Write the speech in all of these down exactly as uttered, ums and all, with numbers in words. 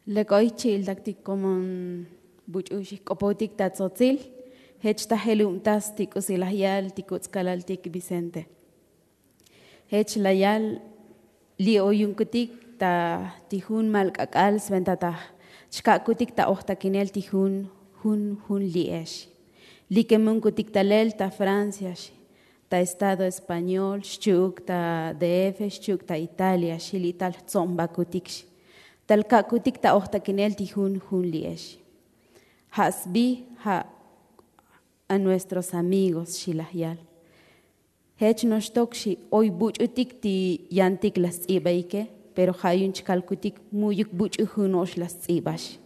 Lek oy chi'iltaktik komon buch'u xijk'opojtik ta tzotzil. Jech ta jelubtas ti k'usi laj yal ti kutz'kalaltik vicente. Jech la yal li' oyunkutik ta ti jun mal k'ak'al sventa ta xka'kutik ta ojtakinel ti jun jun jun li'ex. Likemunkutik talel ta francia xi, ta estado español xchi'uk ta df xchi'uk ta italia xi li' tal jtso'nbakutik xi, tal ka'kutik ta ojtakinel ti jun jun li'ex. Ja' sbi ja' a nuestros amigos xi laj yal. Jech noxtok xi oy buch'utik ti yantik la sts'ibaike, pero ja' yu'un chkalkutik mu'yuk buch'u juno'ox la sts'iba xi.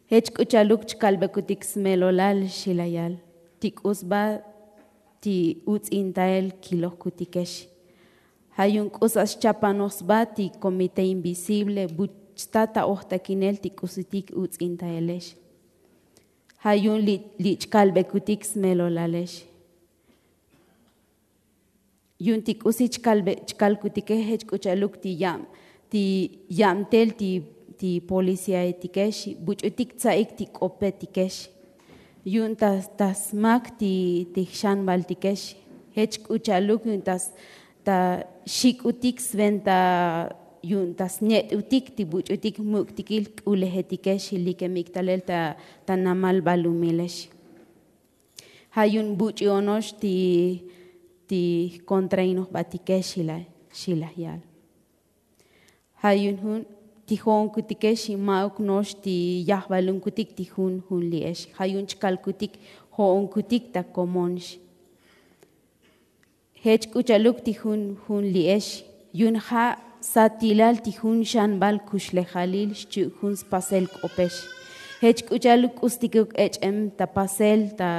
Jech k'u cha'aluk chkalbekutik smelolal xi la yal, ti k'u sba ti uts'intael kilojkutikex. Ja' yu'un k'u sa' xchapanoj sba ti komité invisible bu chta ta ojtakinel ti k'usitik uts'intaelex. Ja' yu'un li' chkalbekutik smelolalex. Yu'un ti k'usi chkalkutike jech k'u cha'aluk ti yab ti yabtel ti policiaetikex buch'utik tsa'ik ti k'opetikex. Yu'un ta smak ti jxanbaltikex. Jech k'u cha'aluk yu'un ta xik'utik sventa yu'un ta snet'utik ti buch'utik muk'tikil k'ulejetikex likemik talel ta namal balumilex. Ja' yu'un buch'u ono'ox ti jkontrainojbatike xi laj yal. Ja' yu'un jun ti jo'onkutike xi ma'uk no'ox ti yajvalunkutik ti jun jun li'ex. Ja' yu'un chkalkutik jo'onkutik ta komon xi. Jech k'u cha'aluk ti jun jun li'ex yu'un ja' satilal ti jun xanbal kuxlejalil xchi'uk jun spasel k'opex. Jech k'u cha'aluk k'ustikuk ech'em ta pasel ta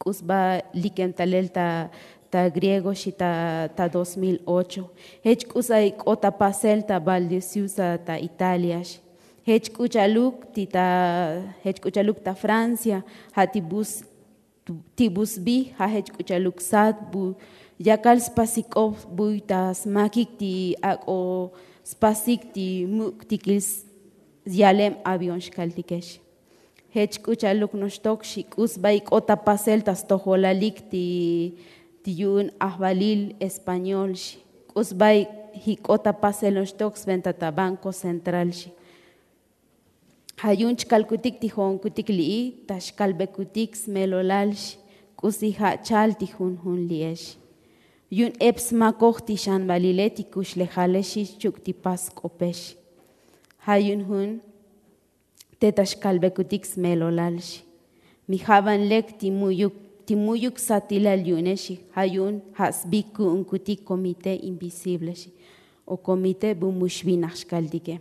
k'u sba likem talel ta griego xi ta dos mil ocho. Jech k'u sa' ik'ot ta pasel ta valdesiusa ta italia xi. Jech k'u cha'aluk ti ta jech k'u cha'aluk ta francia. Ja' ti bu ti bu sbi ja' jech k'u cha'aluk sat bu yakal spasik k'op buy ta smakik ti ak'o spasik ti muk'tikil yalem avión xkaltikex. Jech k'u cha'aluk noxtok xi k'u sba ik'ot ta pasel ta stojolalik ti yu'un ajvalil español xi. K'u sba ik'ot ta pasel noxtok sventa ta banko central xi. Ja' yu'un chkalkutik ti jo'onkutik li'i ta xkalbekutik smelolal xi. K'usi ja' chal ti jun jun li'ex yu'un ep smakoj ti xanbalile ti kuxlejalex xi xchi'uk ti pas k'opex. Ja' yu'un jun te ta xkalbekutik smelolal xi. Mi ja' van lek ti mu'yuk ti mu'yuk satilal yu'unex xi. Ja' yu'un ja' sbi ku'unkutik komité invisible xi o komité bu mu xvinaj xkaltike.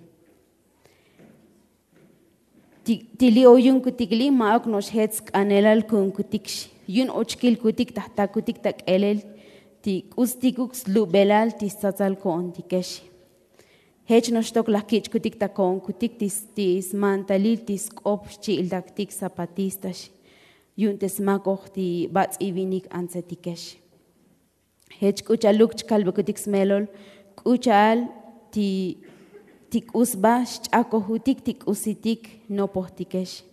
Ti li' oyunkutik li' ma'uk no'ox jech sk'anelal ku'unkutik xi. Yu'un ochkilkutik ta jtakutik ta k'elel ti k'ustikuk slubelal ti stsatsal ko'ontikex xi. Jech noxtok laj kich'kutik ta ko'onkutik ti smantalil ti sk'op xchi'iltaktik zapatista xi. Yu'un te smakoj ti bats'ivinik antsetikex. Jech k'u cha'aluk chkalbekutik smelol k'u cha'al ti k'u sba xch'akojutik ti k'usitik nopojtikex.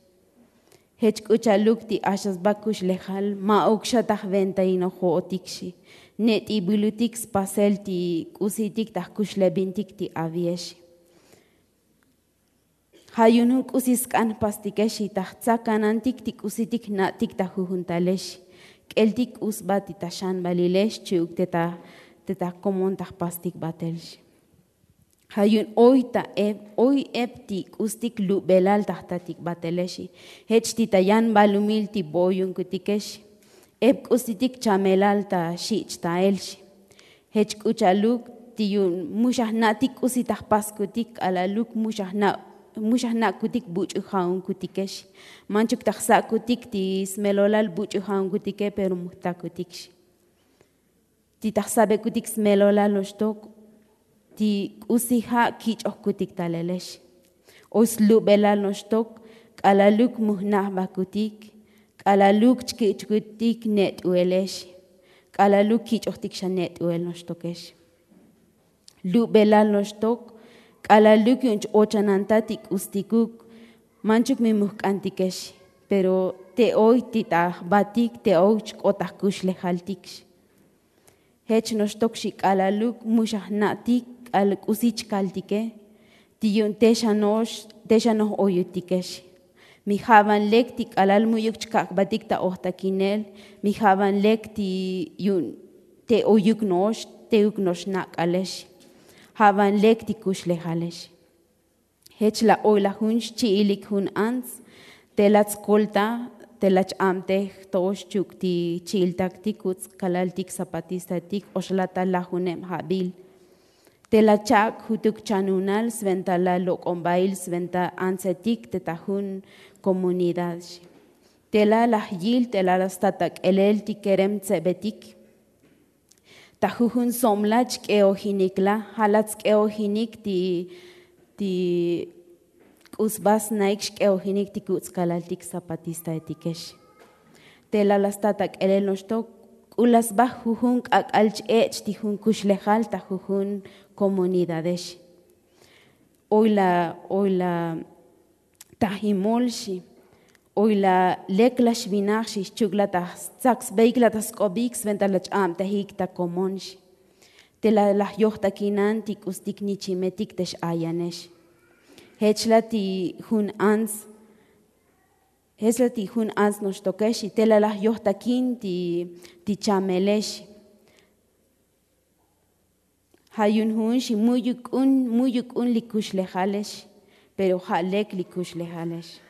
Jech k'u cha'aluk ti axa sba kuxlejal ma'uk xa ta jventainojo'otik xi. Net'ibilutik spasel ti k'usitik ta jkuxlebintik ti aviex xi. Ja' yu'un jun k'usi sk'an jpastikex xi ta jtsakanantik ti k'usitik jna'tik ta jujuntalex xi. K'eltik k'u sba ti ta xanbalilex xchi'uk te ta komon ta jpastik batel xi. Ja' yu'un oy ta ep oy ep ti k'ustik lubelal ta jtatik batelex xi. Jech ti ta yan balumil ti bo'oyunkutikex xi. Ep k'usitik chamelal ta xich'tael xi. Jech k'u cha'aluk ti yu'un mu xa jna'tik k'usi ta jpaskutik k'alaluk mu xa jna'kutik buch'u ja'unkutikex xi. Manchuk ta jsa'kutik ti smelolal buch'u ja'unkutike pero mu jtakutik xi. Ti ta jsabekutik smelolal noxtok ti k'usi ja' kich'ojkutik talelex. Oy slubelal noxtok k'alaluk mu jna'bakutik k'alaluk chkich'kutik net'uelex. K'alaluk kich'ojtik xa net'uel noxtokex. Lubelal noxtok K'alaluk yu'un ch-ochananta ti k'ustikuk. Manchuk mi mujk'antikex, pero te oy ti ta jbatik te oy chk'ot ta jkuxlejaltik. Jech noxtok xi k'alaluk mu xa jna'tik k'al k'usi chkaltike. Ti yu'un te xa no'ox te xa noj oyutikex. Mi ja' van lek ti k'alal mu'yuk chkak' jbatik ta ojtakinel. Mi ja' van lek ti yu'un te oyuk no'ox teuk no'ox na' k'alex. Ja' van lek ti kuxlejalex. Jech la oy la jun xchi'ilik jun ants. Te la tskolta te la ch-abtej to'ox chuk' ti chi'iltak ti kuts' kalaltik zapatistaetik oxlatal lajuneb jabil. Te la chak' jutuk chanunal sventa la lok'ombail sventa antsetik te ta jun komunidad xi. Te la laj yil te la la sta ta k'elel ti kerem tsebetik. Ta jujun somla chk'eojinik la ja' la tsk'eojinik ti ti k'u sba snaik xk'eojinik ti kuts' kalaltik zapatistaetikex. Te la la sta ta k'elel noxtok k'u la sba jujun k'ak'al ch-ech' ti jun kuxlejal ta jujun komunidadex. Oy la oy la tajimol xi. Oy la lek la xvinaj xi xchuk la ta tsak sbeik la ta sk'obik sventa la ch-abtejik ta komon xi. Te la laj yojtakinan ti k'ustik nichimetik te x-ayanex. Jech la ti jun ants jech la ti jun ants noxtokex xi te la laj yojtakin ti chamelex xi. Ja' yu'un jun xi mu'yuk k'un mu'yuk k'un li kuxlejalex. Pero ja' lek li kuxlejalex.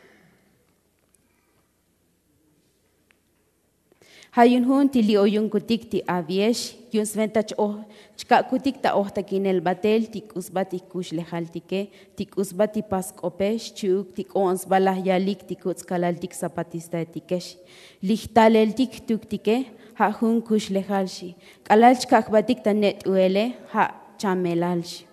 Ja' yu'un jun ti li oyunkutik ti aviex yu'un sventa chka'kutik ta ojtakinel batel ti k'u sba ti jkuxlejaltike ti k'u sba ti pas sk'opex chi'uk ti k'o'on sba laj yalik ti kuts' kalaltik zapatistaetikex. Li jtaleltik jtuktike ja' jun kuxlejal xi. K'alal chkak' jbatik ta net'uele ja' chamelal xi.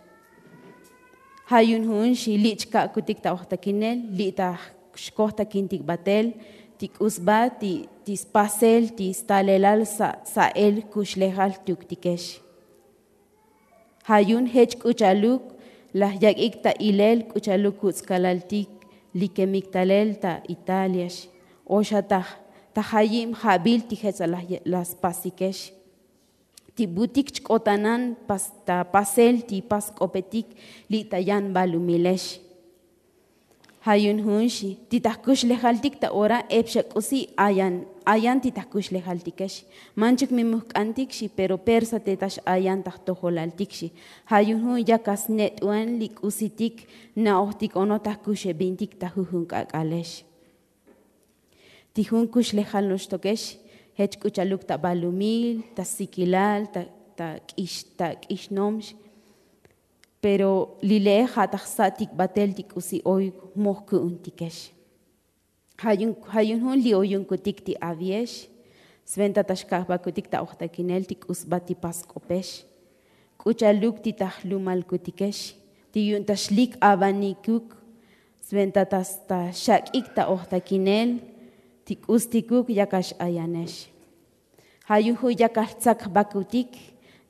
Ja' yu'un jun xi li' chka'kutik ta ojtakinel li' ta xkojtakintik batel ti k'u sba ti spasel ti stalelal sa'el kuxlejal jtuktikex. Ja' yu'un jech k'u cha'aluk laj yak'ik ta ilel k'u cha'aluk kuts' kalaltik likemik talel ta italia xi. O xa ta jayib jabil ti jech la spasikex. Ti butik chk'otanan ta pasel ti pas sk'opetik li' ta yan balumilex. Ja' yu'un jun xi ti ta jkuxlejaltik ta ora ep xa k'usi ayan ayan ti ta jkuxlejaltikex. Manchuk mi mujk'antik xi pero persa te ta x-ayan ta jtojolaltik xi. Ja' yu'un jun yak asnet'uan li k'usitik na'ojtik onoj ta jkuxebintik ta jujun k'ak'alex. Ti jun kuxlejal noxtokex jech k'u cha'aluk ta balumil ta sikilal ta k'ixnomx. Pero li le'e ja' ta jsa'tik batel ti k'usi oy moj ku'untikex. Ja' yu'un jun li oyunkutik ti aviex sventa ta xka'jbakutik ta ojtakinel ti k'u sba ti pas sk'opex. K'u cha'aluk ti ta jlumalkutikex ti yu'un ta xlik avanikuk sventa ta xak'ik ta ojtakinel ti k'ustikuk yakal x-ayanex. Ja' yu'un jun yakal jtsakjbakutik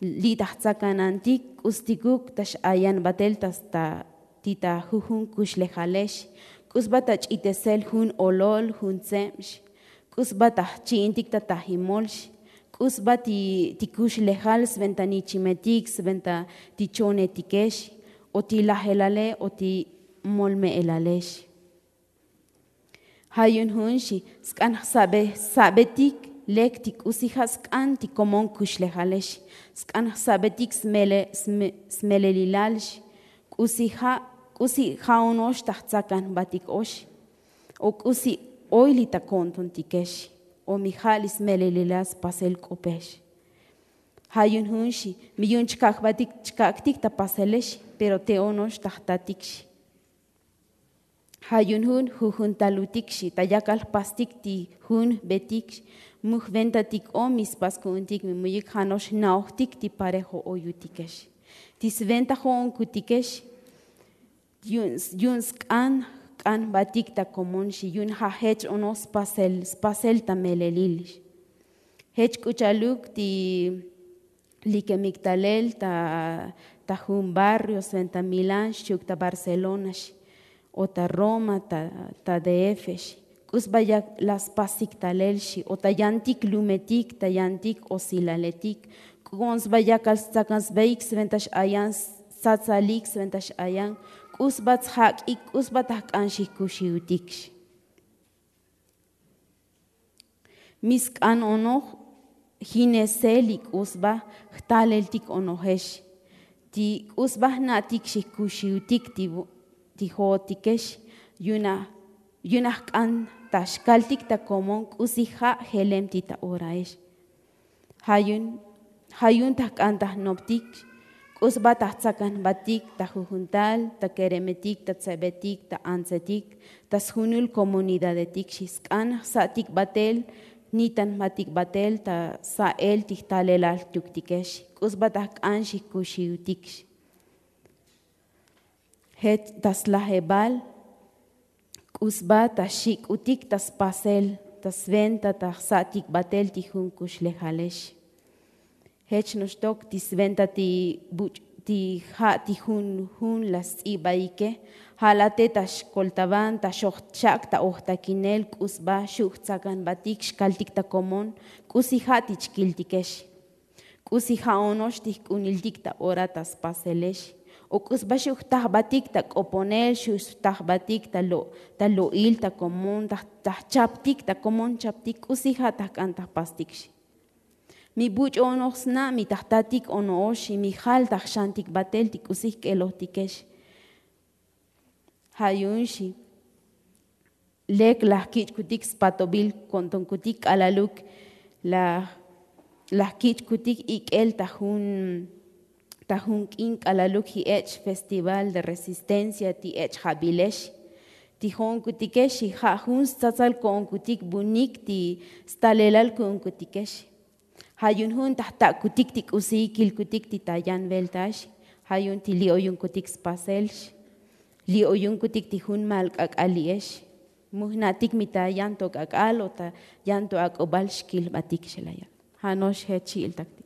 li' ta jtsakanantik k'ustikuk ta x-ayan batel ta sta ti ta jujun kuxlejalex. K'u sba ta ch'itesel jun olol jun tsebx. K'u sba ta jchi'intik ta tajimolx. K'u sba ti kuxlejal sventa nichimetik sventa ti chonetikex o ti lajelale o ti molme'elalex. Ja' yu'un jun xi sk'an jsa'betik lek ti k'usi ja' sk'an ti komon kuxlejalex. Sk'an jsa'betik smelelilal xi. K'usi ja' k'usi ja' ono'ox ta jtsakan jbatik ox o k'usi oy li ta ko'ntontikex o mi ja' li smelelilal spasel k'opex. Ja' yu'un jun xi mi yu'un chkak' jbatik chkak'tik ta paselex pero te ono'ox ta jtatik xi. Ja' yu'un jun jujuntalutik xi ta yakal jpastik ti jun jbetik xi. Mu jventatik o mi spas ku'untik mi mu'yuk ja' no'ox jna'ojtik ti parejo oyutikex. Ti sventa jo'onkutikex yu'un sk'an jk'an jbatik ta komon xi yu'un ja' jech onoj spasel ta melelil xi. Jech k'u cha'aluk ti likemik talel ta ta jun barrio sventa milán xchi'uk ta barcelona xi, o ta roma ta df xi. K'u sba yak la spasik talel xi o ta yantik lumetik ta yantik osilaletik. K'u on sba yakal stsakan sbaik sventa x'ayan stsatsalik sventa x'ayan. K'u sba tsjak'ik k'u sba ta jk'an xijkuxiutik xi. Mi sk'an onoj jinesel li k'u sba jtaleltik onojex. Ti k'u sba jna'tik xijkuxiutik ti jo'otikex. Yu'un ajk'an ta xkaltik ta komon k'usi ja' jelem ti ta oraex. Ja' yu'un ta jk'an ta jnoptik k'u sba ta jtsakan jbatik ta jujuntal ta keremetik ta tsebetik ta antsetik ta sjunul komunidadetik xi sk'an jsa'tik batel jnitan jbatik batel ta sa'el ti jtalelal jtuktikex. K'u sba ta jk'an xijkuxiutik xi. Jech ta slajebal k'u sba ta xik'utik ta spasel ta sventa ta jsa'tik batel ti jun kuxlejalex. Jech noxtok ti sventa ti buch' ti ja' ti jun jun la sts'ibaike. Ja' late ta xkoltaban ta xojchak' ta ojtakinel k'u sba xu' jtsakan jbatik xkaltik ta komon. K'usi ja' ti chkiltikex k'usi ja' ono'ox ti jk'uniltik ta ora ta spaselex. O k'u sba xu' jta jbatik ta k'oponel xu' jta jbatik ta lo'il ta komon ta jchaptik ta komon chaptik k'usi ja' ta jk'an ta jpastik xi. Mi buch'u onoj sna' mi ta jtatik ono'ox xi mi jal ta jxantik batel ti k'usi jk'elojtikex. Ja' yu'un xi lek laj kich'kutik spatobil ko'ntonkutik k'alaluk laj kich'kutik ik'el ta jun ta jun k'in k'alaluk ji' ech' festival de resistencia ti ech' jabilex. Ti jo'onkutikex xi ja' jun stsatsal ko'onkutik bunik ti stalelal ku'unkutikex. Ja' yu'un jun ta jtak'kutik ti k'usi kilkutik ti ta yan veltaex. Ja' yu'un ti li' oyunkutik spasel xi li' oyunkutik ti jun mal k'ak'al li'ex. Mu jna'tik mi ta yan to k'ak'al o ta yan to ak'ubal xkil jbatik xi la ya'. Ja' no'ox jech xi'iltaktik.